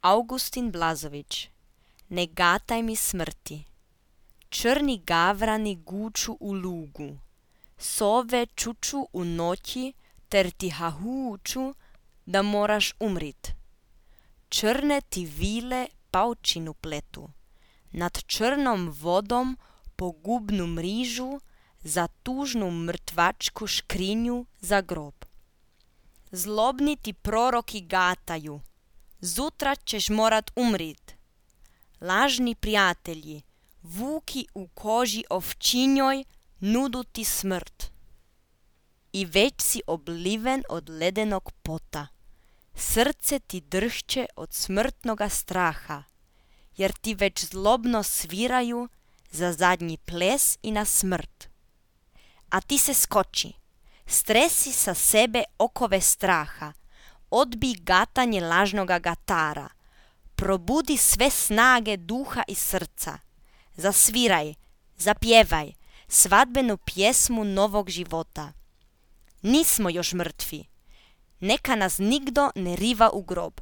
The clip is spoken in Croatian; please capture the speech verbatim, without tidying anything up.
Augustin Blazović. Ne gataj mi smrti. Črni gavrani guču u lugu, sove čuču u noći ter ti hahuču da moraš umrit. Črne ti vile paučinu pletu, nad črnom vodom pogubnu mrižu za tužnu mrtvačku škrinju za grob. Zlobni ti proroki gataju, zutra ćeš morat umrit. Lažni prijatelji, vuki u koži ovčinjoj, nudu ti smrt. I već si obliven od ledenog pota, srce ti drhće od smrtnoga straha, jer ti već zlobno sviraju za zadnji ples i na smrt. A ti se skoči, stresi sa sebe okove straha, odbij gatanje lažnoga gatara, probudi sve snage duha i srca, zasviraj, zapjevaj svadbenu pjesmu novog života. Nismo još mrtvi, neka nas nigdo ne riva u grob.